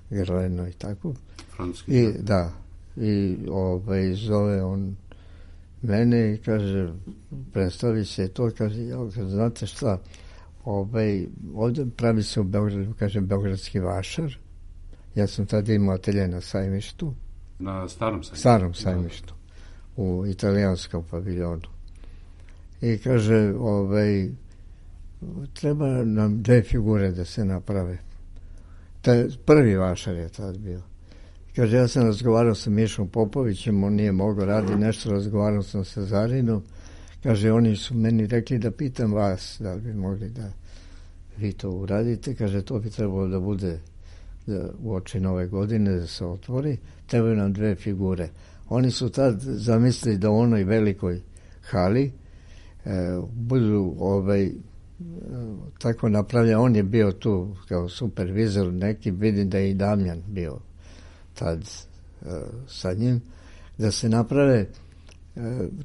Speaker 6: Grleno i tako.
Speaker 5: Francuski.
Speaker 6: I da, i zove on mene i kaže, predstavi se to, kaže, znate šta, ovdje pravi se u Beogradu, kaže, Beogradski vašar. Ja sam tada imao atelje na Sajmištu.
Speaker 5: Na starom Sajmištu?
Speaker 6: Starom Sajmištu, u italijanskom paviljonu. I kaže, treba nam 2 figure da se naprave. Prvi vašar je tad bio. Kaže, ja sam razgovarao sa Mišom Popovićem, on nije mogao raditi nešto, razgovarao sam sa Zarinom. Kaže, oni su meni rekli da pitam vas, da li bi mogli da vi to uradite. Kaže, to bi trebalo da bude u oči nove godine, da se otvori. Trebaju nam 2 figure. Oni su tad zamislili da u onoj velikoj hali budu tako napravljeno. On je bio tu kao supervizor neki, vidim da je i Damjan bio tad sa njim, da se naprave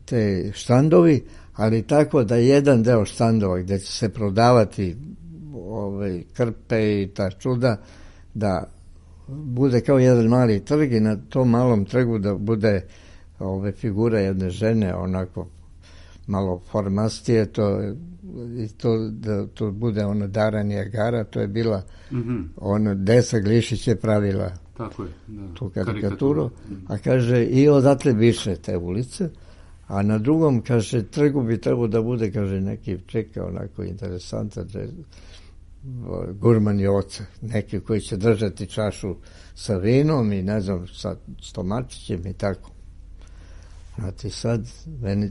Speaker 6: te štandovi, ali tako da jedan deo štandova gde će se prodavati krpe i ta čuda, da bude kao jedan mali trg i na tom malom trgu da bude figura jedne žene, onako malo formastije, da to bude ona Dara Nijagara, to je bila ona Desa Glišić je pravila
Speaker 5: tako je, da,
Speaker 6: tu karikaturu, a kaže i odatle više te ulice, a na drugom, kaže, trgu bi trebao da bude, kaže, neki čeka onako interesantan gurman i oca, neki koji će držati čašu sa vinom i ne znam, sa stomačićem i tako. Znate, sad meni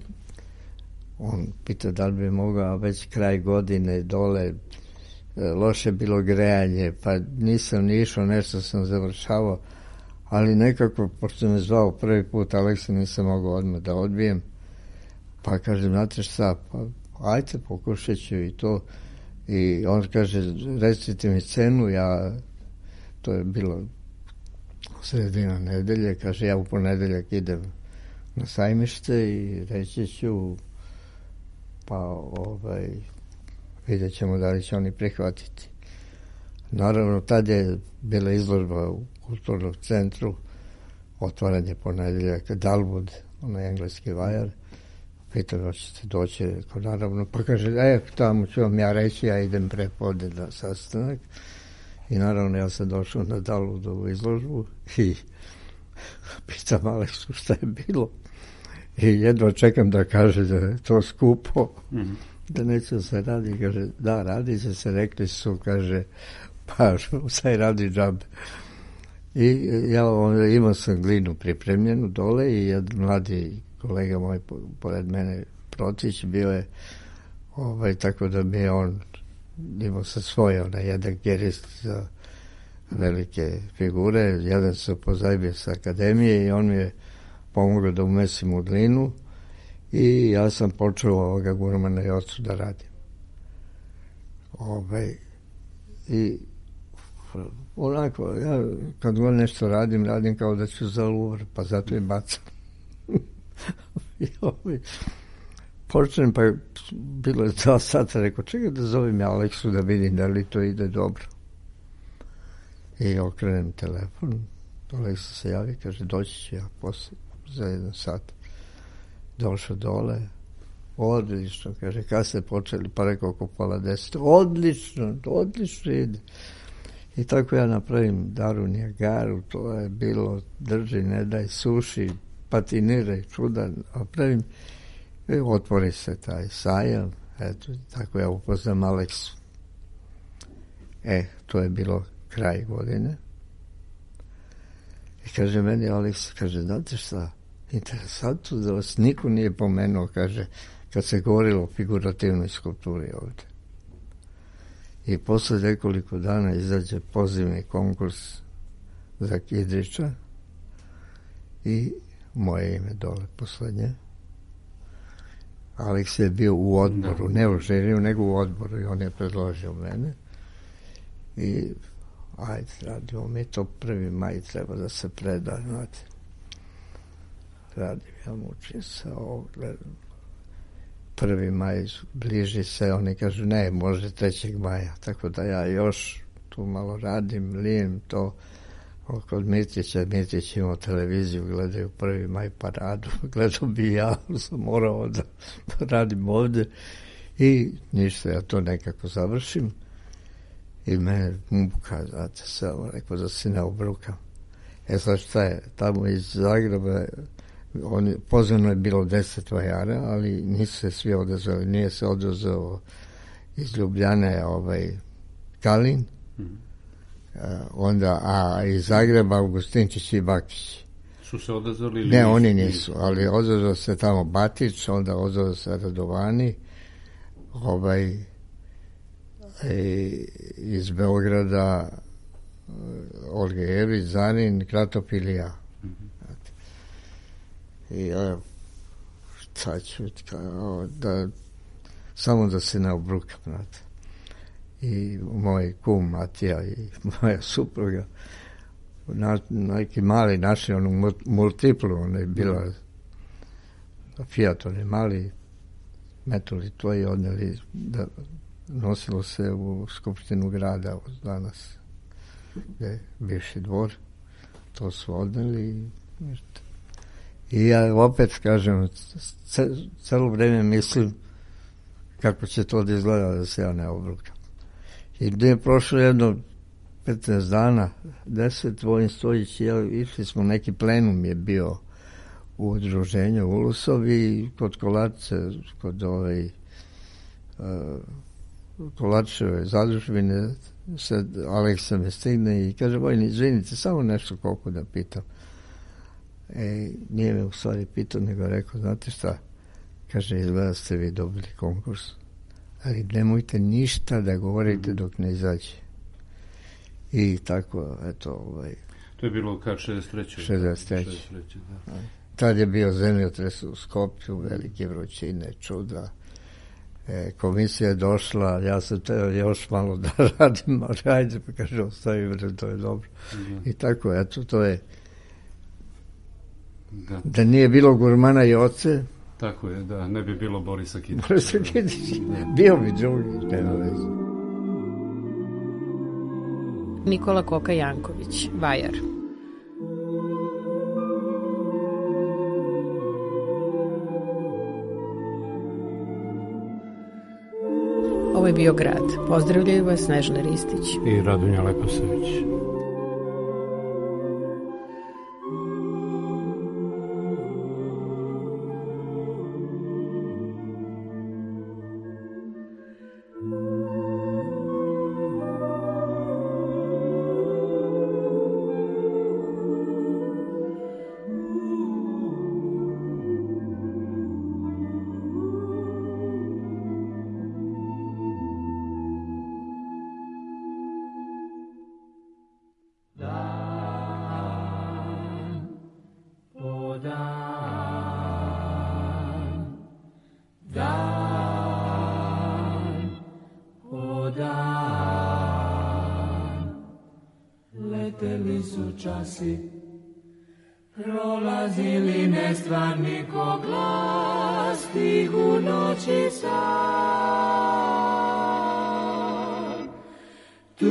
Speaker 6: on pita da li bi mogao već kraj godine dole, loše bilo grejanje, pa nisam ni išao, nešto sam završavao, ali nekako, pošto me zvao prvi put Aleksa, nisam mogao odmah da odbijem, pa kažem, znate šta, pa ajte, pokušat ću i to. I on kaže, recite mi cenu, to je bilo sredina nedelje, kaže, ja u ponedeljak idem na Sajmište i reći ću, pa vidjet ćemo da li će oni prihvatiti. Naravno, tad je bila izložba u Kulturnom centru, otvaranje ponedeljaka, Dalwood, onaj engleski vajar, pitam da ćete doći, naravno, pa kaže, tamo ću vam ja reći, ja idem prepodne na sastanak. I naravno, ja sam došao na Dalwoodovu izložbu i pitam Aleksu šta je bilo. I jedva čekam da kaže da je to skupo, da neće se radi. Kaže, da, radi će se, rekli su, kaže, pa sad radi džabe. I ja imao sam glinu pripremljenu dole i jedan mladi kolega moj pored mene, Protić, bio je tako da mi je on imao sa svoje jedan gerist za velike figure, jedan se pozajbio sa akademije i on mi je pomogao da umesim u glinu i ja sam počeo ovoga gurmana i ocu da radim. I onako, ja kad god nešto radim kao da ću za Louvre, pa zato i bacam. I počnem, pa bilo je 2 sata, rekao, čekaj da zovem ja Aleksu da vidim da li to ide dobro. I okrenem telefon, Aleksa se javi, kaže, doći ću ja posle, za 1 sat. Došao dole, odlično, kaže, kad ste počeli, pa rekao oko 9:30, odlično ide. I tako ja napravim Daru Nijagaru, to je bilo, drži, ne daj, suši, patiniraj, čudan, napravim, i otvori se taj sajam, eto, tako ja upoznam Aleksu. To je bilo kraj godine. I kaže meni Aleksa, kaže, znate šta, interesantno da vas niko nije pomenuo, kaže, kad se govorilo o figurativnoj skulpturi ovde. I posle nekoliko dana izađe pozivni konkurs za Kidrića i moje ime dole poslednje. Aleks je bio u odboru, ne u žiriju, nego u odboru i on je predložio mene. I ajde, radimo mi to, 1. maj treba da se preda, znate. Radim, ja mučim se ovo, gledam. 1. maj bliži se, oni kažu ne, može 3. maja, tako da ja još tu malo radim, lijem to. Kod Mirtić imao televiziju, gledaju 1. maj paradu, gledao bi ja, sam morao da radim ovde i ništa, ja to nekako završim i mene muka, znate, samo rekao da se ne obrukam. Sad šta je, tamo iz Zagreba, pozvano je bilo 10 vajara, ali nisu se svi odazvali, nije se odazvao iz Ljubljane Kalin, onda, a iz Zagreba Augustinčić i Bakić.
Speaker 5: Su se odazvali ili
Speaker 6: ne, oni nisu, ali odazvao se tamo Batić, onda odazvao se Radovani, iz Beograda Olga Jević, Zanin, Kratop ili ja. I šta ću, samo da se ne obrukam, znate. I moj kum Matija i moja supruga neki mali našli onu multiplu, ona je bila Fiat, oni mali metuli to i odneli da nosilo se u Skupštinu grada danas gde je bivši dvor, to su odneli i ja opet kažem celo vreme mislim kako će to da izgleda da se ja ne obrukam. I gde je prošlo jedno 15 dana, 10, Vojin Stojić i ja išli smo, neki plenum je bio u udruženju Ulusov i kod Kolačice, kod Kolačeve zadužbine, Aleksa me stigne i kaže, Vojin, izvinite, samo nešto koliko da pitam. Nije me u stvari pitao, nego rekao, znate šta, kaže, izgleda ste vi dobili konkurs, ali nemojte ništa da govorite dok ne izađe. I tako, eto,
Speaker 5: To je bilo kad 63.
Speaker 6: 63.
Speaker 5: Da.
Speaker 6: Tad je bio zemljotres u Skopju, velike vrućine, čuda. Komisija je došla, ja sam teo još malo da radim, ali ajde, pa kaže, ostavi, to je dobro. I tako, eto, to je... Da nije bilo Gurmana i Oce...
Speaker 5: Tako je, da, ne bi bilo Borisa Kidrića.
Speaker 6: Borisa Kidrića, bio bi drugi, nema veze.
Speaker 4: Nikola Koka Janković, vajar. Ovo je bio Grad. Pozdravljaju vas Snežana Ristić
Speaker 5: i Radonja Leposavić.
Speaker 3: Prolazili nestvarni ko glas tih u noći sam. Tu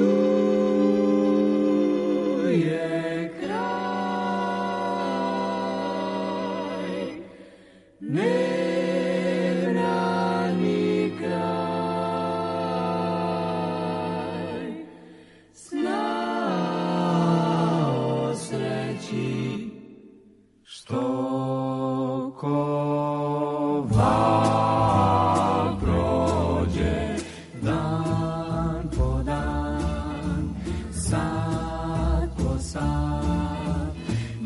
Speaker 3: je kraj, nebrani kraj, sna o sreći što ko val prođe dan po dan, sat po sat,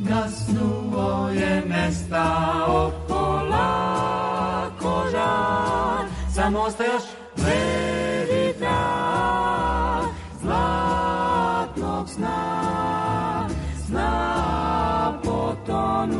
Speaker 3: gasnuo je nestao polako žar, samo ostaje još bledi trag zlatnog sna, sna potonu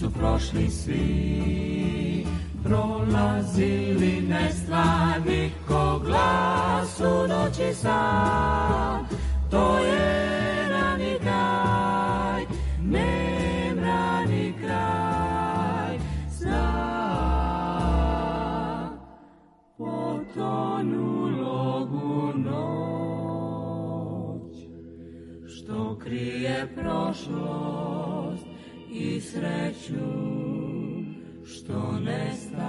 Speaker 3: Su prošli svi, prolazili nestvarni ko glas u noći sam. To je rani kraj, nemrani kraj sna. Potonulog u noć, što krije prošlost i sreću što nestaje.